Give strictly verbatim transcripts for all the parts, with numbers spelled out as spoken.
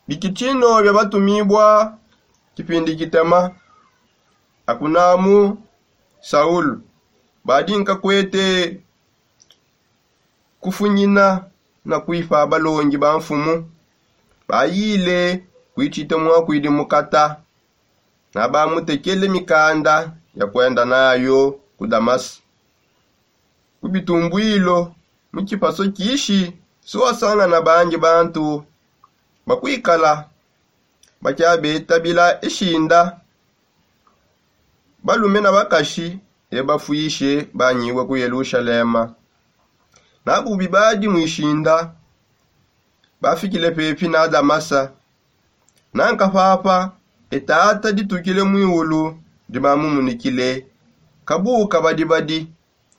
Bikitino bia batumibua. Kipindi kitema, akunamu saulu badi nkakwete kufunyina na kuipa balongi ba mfumu. Bayile kuitshite muakuidi mukata na bamutekele mikanda ya kuenda nayo ku damasa. Ku bitumbuilo mu kipaso kishi suwasangana bangi bantu bakuikala bakiabetabila ishinda, balume na bakashi, ebafuishe banyibue ku yelushalema. Nabubi badi muishinda bafikile pepi na damasa. Nanka papa etata ditukile muiulu dibamumunikile kabuka badibadi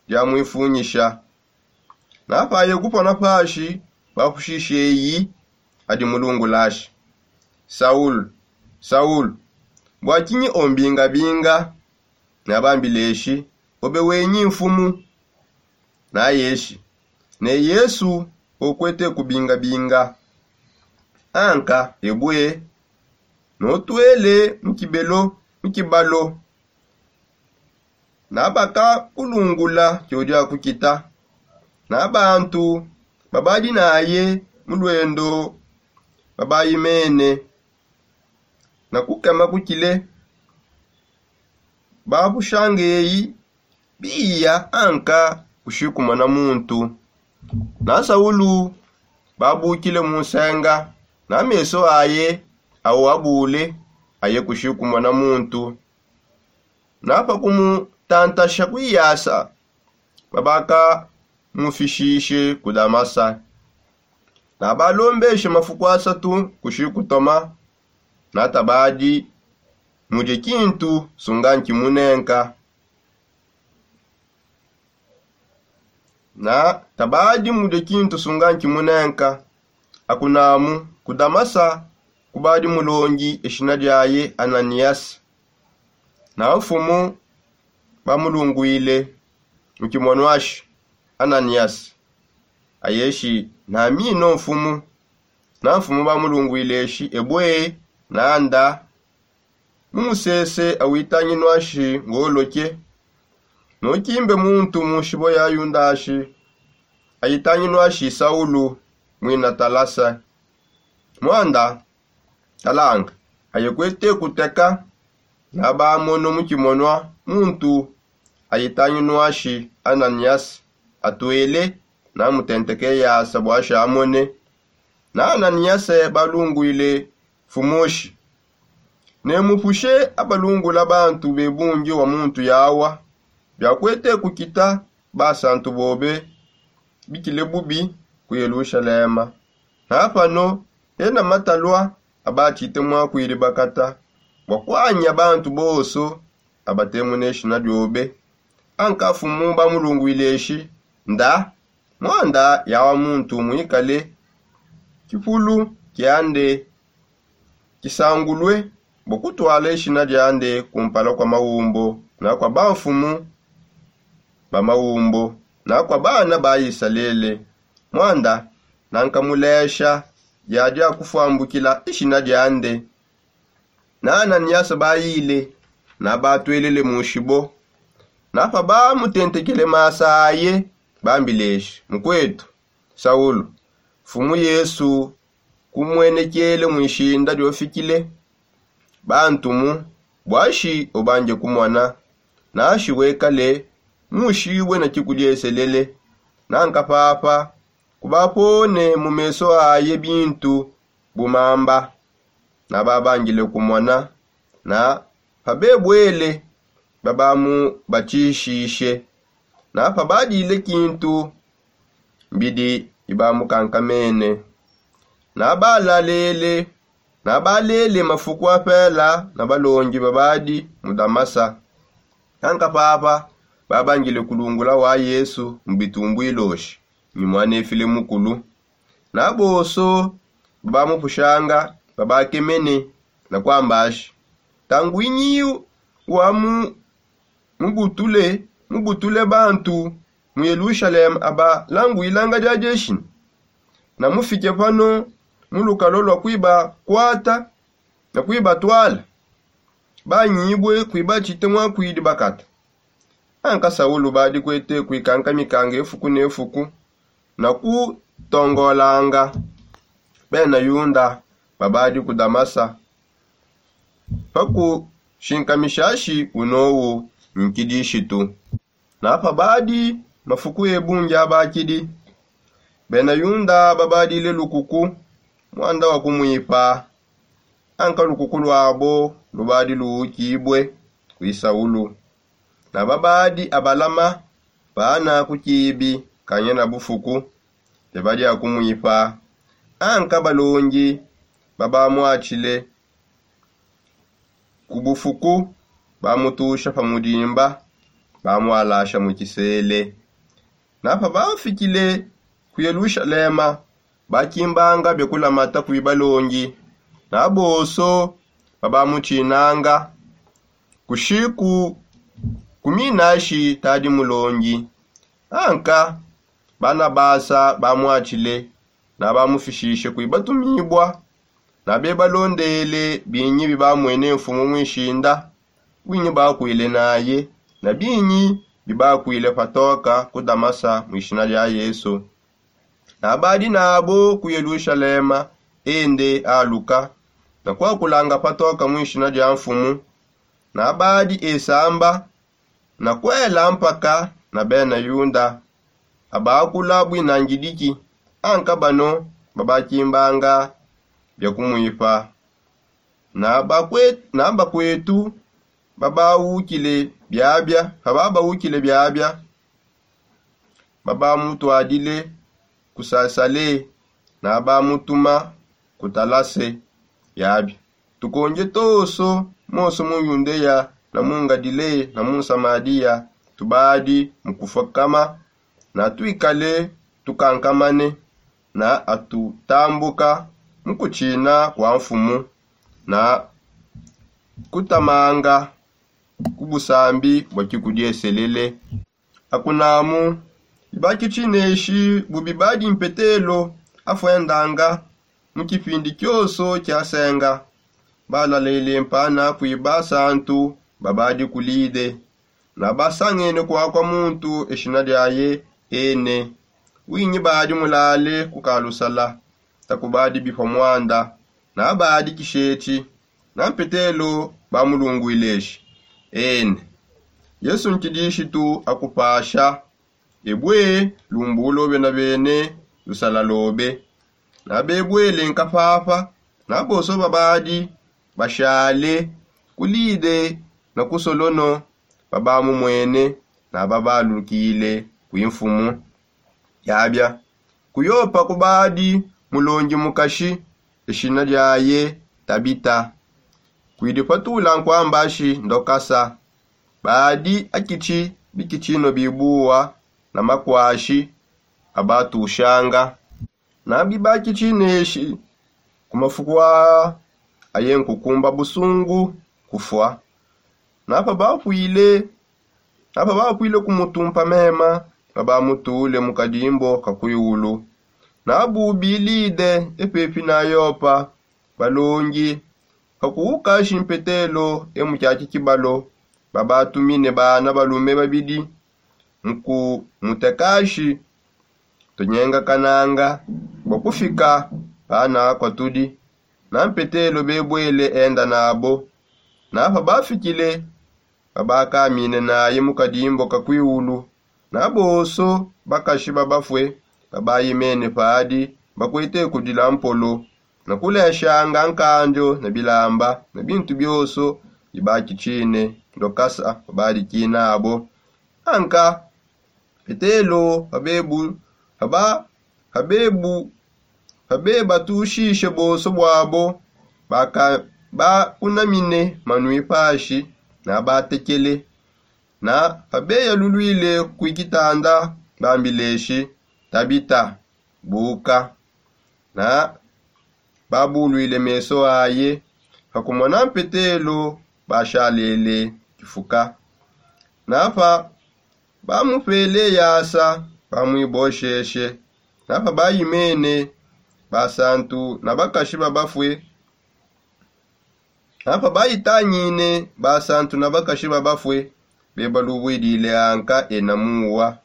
diamuifunyisha. Napaye kupona pashi bapushishe eyi adi mulungulashi, saulu, saulu, bua kinyi ombingabinga? Nabambileshi, obe wenyi mfumu. Nayeshi ne yesu okwete kubingabinga. Anka ebue notwele mu kibelo mu kibalo. Nabaka kulungula tshiodia kukita na bantu babadi naye mu luendo babayi mene na kukema kukile. Bapushanga eyi biya anka kushikumona muntu. Na saulu babukile mu nsenga na meso aye awu abule aye kushikumona muntu. Na pa kumutantasha kuiyasa babaka mufishishe ku damasa. Nabalombeshe mafuku asatu kushikutoma. Natabadi mudie kintu sunga nkimunenka. Na tabadi mudie kintu sunga nkimunenka. Akunamu ku damasa kubadi mulongi eshina diaye ananias. Na mfumu bamulunguile mu kimonwashi, ananias. Ayeshi namino mfumu. Na mfumu bamulunguileshi ebue nanda mu musese awitanginwashi ngoloke. Nukimbe muntu mu nshibo ya yundashi ayitanginwashi saulu mwina talasa. Mwanda talanga aye kwete kuteka. Nabamono mu kimonwa muntu ayitanginwashi ananias atwele. Namutenteke yasa bua shamone. Na ananiase balunguile mfumushi, ne mupushe abalungula bantu be bungi wa muntu yawa biakwete kukita basantu bobe bikile bubi ku yelushalema. Na pano ena matalua abatshite muakuidi bakata bua kuanya bantu bonso abatemune eshina diobe. Anka mfumu bamulunguileshi nda mwanda yawa muntu muikale kipulu kiande kisangulue bua kutwala eshina diande kumpala kua maumbo na kua bamfumu ba maumbo na kua bana ba isalele. Mwanda nankamulesha dia dia kufuambukila eshina diande. Na ananiasa bayile na batwelele mu nshibo. Na pa bamutentekele masa aye bambileshi mukuetu saulu, mfumu yesu kumuenekele mu ishinda diofikile. Bantumu buashi ubanje kumona nashi wekale mushibue na kikudieselele. Nanka papa kubapone mu meso aye bintu bu mamba. Nababangile kumona na pabebuele babamubatshishishe. Na pabadile kintu mbidi ibamukankamene. Nabalalele nabalele mafuku apela na balongi babadi mu damasa. Kanka papa babangile kulungula wa yesu mu bitumbuiloshi ni muanefile mukulu. Na bonso babamupushanga babakemene na kuambashi, tanguinyi wa mu mubutule mubutule bantu mu yelushalema abalanguilanga dia dieshina? Na mufike pano mu lukalo lua kuibakwata na kuibatwala, banyibue kuibatshite muakuidi bakata. Anka saulu badi kuete kuikankamikanga efuku ne fuku na kutongolanga bena yuda babadi ku damasa, pa kushinkamishashi unowu nkidishitu. Na pabadi mafuku ebungi abakidi, bena yuda babadile lukuku muanda wa kumuipa. Anka lukuku luabo lubadi luukibue kui saulu. Na babadi abalama bana ku kibi kanya na bufuku, bebadi akumuipa. Anka balongi babamuatshile ku bufuku, bamutusha pa mudimba, bamualasha mu kisele. Na pabafikile ku yelushalema, bakimbanga bia kulamata kui balongi. Na bonso babamutsinanga kushiku kuminashi tadi mulongi. Anka banabasa bamuatshile, na bamufishishe kui batumibua. Na bebalondele binyi bibamwene mfumu muishinda, winyi bakwile naye, na binyi bibakwile patoka ku damasa muishina dia yesu. Na badi nabo ku yelushalema, ende aluka na kuakulanga patoka muishina dia mfumu. Na badi esamba na kuela mpaka na bena yuda abakula buinangidiki. Anka bano babakimbanga bia kumuipa. Na bakwetu babawukile biabia, bababawukile biabia, babamutuadile ku sasale, na bamutuma ku talase. Biabia tukonje toso, moso mu yundeya na mu ngadile na mu samadiya, tubadi mu kufukama, na tuikale tukankamane, na atutambuka mu kutshina kua mfumu, na kutamanga ku busambi bua kikudieselele. Akunamu bibakitshineshi bu bibadi mpetelo afuendanga mu kipindi kioso kiasenga, balalele mpana kui basantu babadi ku lide. Na basangene kuakua muntu eshina diaye ene, winyi badi mulale ku kalusala, takubadi bipua muanda. Na badi kishetshi na mpetelo bamulungwile eshi, ene, yesu nkidishitu akupasha. Ebue lumbulobe na bene lusalalobe. Na bebuele nkapapa. Na bonso babadi bashale ku lide na ku solono babamumwene, na babalukile kui mfumu. Yabia ku yopa kubadi mulongi mukashi, eshina diaye tabita. Kuidi patula nkuambashi ndokasa. Badi akitshi bikitshino bibuwa na makuashi abatushanga. Na bibakitshineshi ku mafuku aa aye nkukumba busungu kufua. Na pabapuile na pabapuile kumutumpa mema, babamutule mu kadimbo ka kuiulu. Na bubilide epepi na yopa, balongi pakuukashi mpetelo e mu kiaki kibalo, babatumine bana balume babidi mu kumutekashi. Tunyengakananga bua kufika pana kuatudi. Na mpetelo bebuele enda nabo. Na pabafikile, babakamine naye mu kadimbo ka kuiulu. Na bonso bakashi babafue babayimene padi bakuete kudila mpolo, na kuleshanga nkandio na bilamba na bintu bionso bibakitshine ndokasa babadikinabo. Anka petelo pabebu paba pabebu pabebatushishe bonso buabo, bakunamine manui pashi, na batekele. Na pabeyaluluile kui kitanda, bambileshi, tabita, buka. Na babuluile meso aye, pakumona mpetelo bashalele kifuka. Na pa bamupele yasa, bamuibosheshe. Na pabayimene basantu na bakashi babafue. Apa baitanyine basantu na bakashi babafue, bebalubwidile anka ena muwa.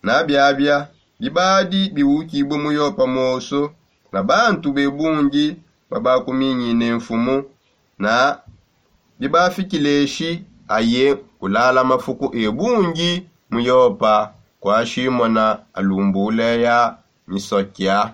Na biabia bibadi biwukibue mu yopa moso, na bantu bebungi babakuminyine mfumu, na bibafikileshi aye kulala mafuku ebungi mu yopa, kwa shimona alumbule ya misokia.